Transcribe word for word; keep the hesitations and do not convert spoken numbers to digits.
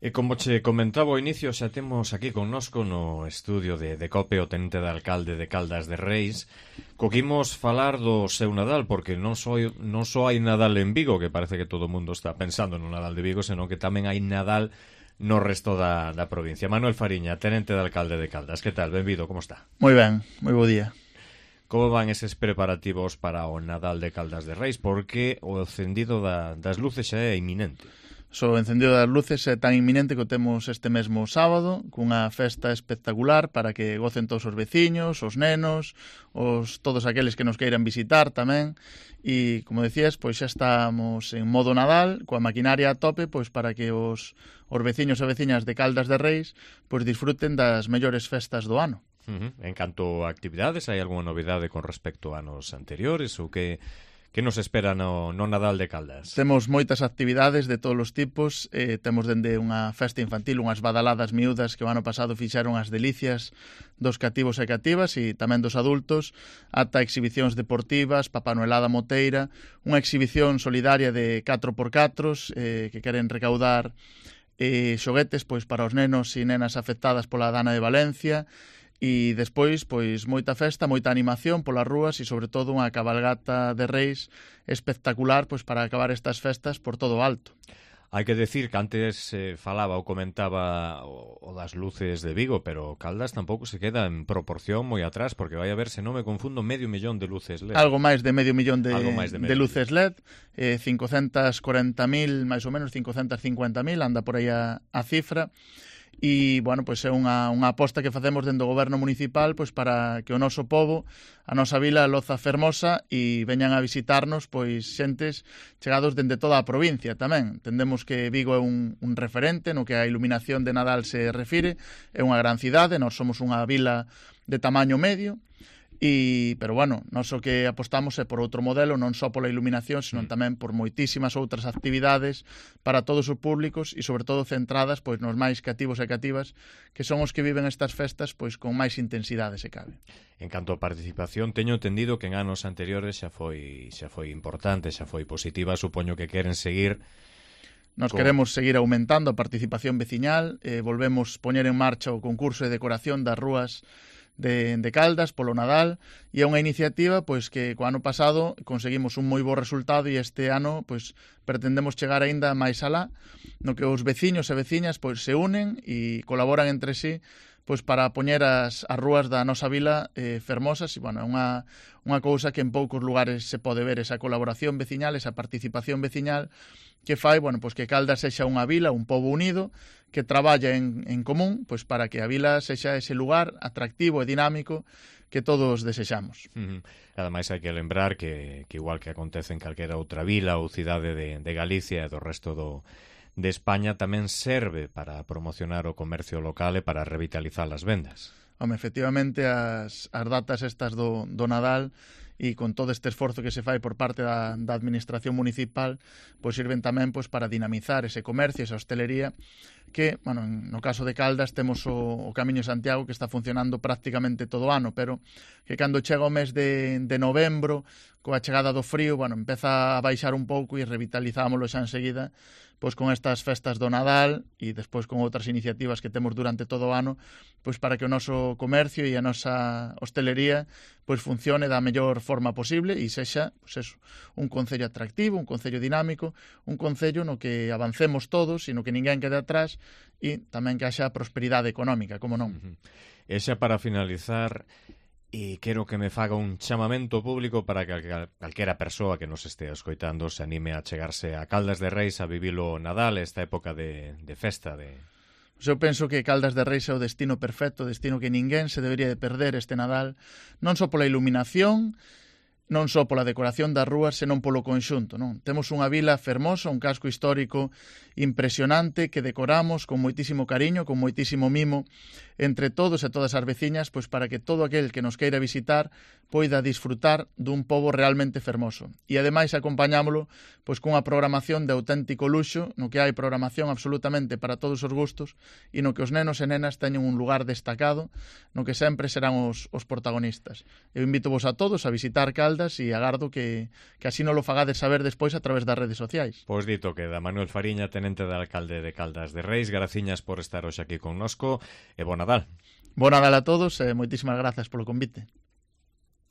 E como che comentaba ao inicio, xa temos aquí connosco no estudio de, de COPE o tenente de alcalde de Caldas de Reis. Coquimos falar do seu Nadal, porque non só, non só hai Nadal en Vigo, que parece que todo o mundo está pensando no Nadal de Vigo, senón que tamén hai Nadal no resto da, da provincia. Manuel Fariña, tenente de alcalde de Caldas, que tal? Benvido, como está? Moi ben, moi bo día. Como van eses preparativos para o Nadal de Caldas de Reis? Porque o encendido da, das luces xa é inminente. So, o encendido das luces é tan inminente que o temos este mesmo sábado, cunha festa espectacular para que gocen todos os veciños, os nenos, os todos aqueles que nos queiran visitar tamén. E, como decías, pois xa estamos en modo Nadal, coa maquinaria a tope, pois para que os, os veciños e veciñas de Caldas de Reis pois disfruten das mellores festas do ano. Uh-huh. En canto a actividades, hai algunha novidade con respecto a anos anteriores ou que... Que nos espera no, no Nadal de Caldas? Temos moitas actividades de todos os tipos. Eh, temos dende unha festa infantil, unhas badaladas miúdas que o ano pasado fixeron as delicias dos cativos e cativas e tamén dos adultos, ata exhibicións deportivas, Papanoelada moteira, unha exhibición solidaria de catro por catro eh, que queren recaudar eh, xoguetes pois para os nenos e nenas afectadas pola dana de Valencia. E despois, pois, moita festa, moita animación polas rúas e, sobre todo, unha cabalgata de reis espectacular pois para acabar estas festas por todo o alto. Hai que decir que antes eh, falaba ou comentaba o, o das luces de Vigo, pero Caldas tampouco se queda en proporción moi atrás, porque vai a ver, se non me confundo, medio millón de luces L E D. Algo máis de medio millón de, de, de luces L E D, eh, cincocentas corenta mil, máis ou menos cincocentas cincuenta mil, anda por aí a, a cifra. E, bueno, pois é unha, unha aposta que facemos dentro do goberno municipal pois para que o noso pobo, a nosa vila Loza Fermosa e veñan a visitarnos pois xentes chegados dende toda a provincia tamén. Entendemos que Vigo é un, un referente no que a iluminación de Nadal se refire, é unha gran cidade, nós somos unha vila de tamaño medio. E, pero, bueno, nós o que apostamos é por outro modelo, non só pola iluminación, senón tamén por moitísimas outras actividades para todos os públicos e, sobre todo, centradas pois nos máis cativos e cativas, que son os que viven estas festas pois con máis intensidade, se cabe. En canto a participación, teño entendido que en anos anteriores xa foi xa foi importante, xa foi positiva, supoño que queren seguir. Nos con... queremos seguir aumentando a participación veciñal, eh, volvemos poñer en marcha o concurso de decoración das rúas De, de Caldas polo Nadal e é unha iniciativa pois que co ano pasado conseguimos un moi bo resultado e este ano pois pretendemos chegar aínda máis alá, no que os veciños e veciñas pois se unen e colaboran entre sí pois para poñer as, as rúas da nosa vila eh, fermosas e, bueno, é unha, unha cousa que en poucos lugares se pode ver, esa colaboración veciñal, esa participación veciñal que fai, bueno, pois que Caldas sexa unha vila, un pobo unido que traballa en, en común pois para que a vila sexa ese lugar atractivo e dinámico que todos desexamos. Uh-huh. Ademais, hai que lembrar que, que igual que acontece en calquera outra vila ou cidade de, de Galicia e do resto do, de España, tamén serve para promocionar o comercio local e para revitalizar as vendas. Home, efectivamente, as, as datas estas do, do Nadal e con todo este esforzo que se fai por parte da, da administración municipal, pois sirven tamén pois para dinamizar ese comercio, esa hostelería, que, bueno, no caso de Caldas temos o, o Camiño de Santiago que está funcionando prácticamente todo o ano, pero que cando chega o mes de, de novembro, coa chegada do frío, bueno, empeza a baixar un pouco e revitalizámoslo xa enseguida, pois con estas festas do Nadal e despois con outras iniciativas que temos durante todo o ano, pois para que o noso comercio e a nosa hostelería pois funcione da mellor forma posible e sexa, pois eso, un concello atractivo, un concello dinámico, un concello no que avancemos todos e no que ninguén quede atrás e tamén que haxa prosperidade económica, como non. Uh-huh. E xa para finalizar, e quero que me faga un chamamento público para que calquera persoa que nos estea escoitando se anime a chegarse a Caldas de Reis a vivilo Nadal, esta época de, de festa. De... Eu penso que Caldas de Reis é o destino perfecto, o destino que ninguén se debería de perder este Nadal, non só pola iluminación, non só pola decoración das rúas, senón polo conxunto, non? Temos unha vila fermosa, un casco histórico impresionante que decoramos con moitísimo cariño, con moitísimo mimo, entre todos e todas as veciñas, pois para que todo aquel que nos queira visitar poida disfrutar dun pobo realmente fermoso. E ademais acompañámolo pois cunha programación de auténtico luxo, no que hai programación absolutamente para todos os gustos e no que os nenos e nenas teñen un lugar destacado, no que sempre serán os, os protagonistas. Eu invito vos a todos a visitar Caldas e agardo que, que así non lo fagades saber despois a través das redes sociais. Pois dito queda. Manuel Fariña, tenente de alcalde de Caldas de Reis, graciñas por estar hoxe aquí connosco e bo Nadal. Bo Nadal a todos e moitísimas grazas polo convite.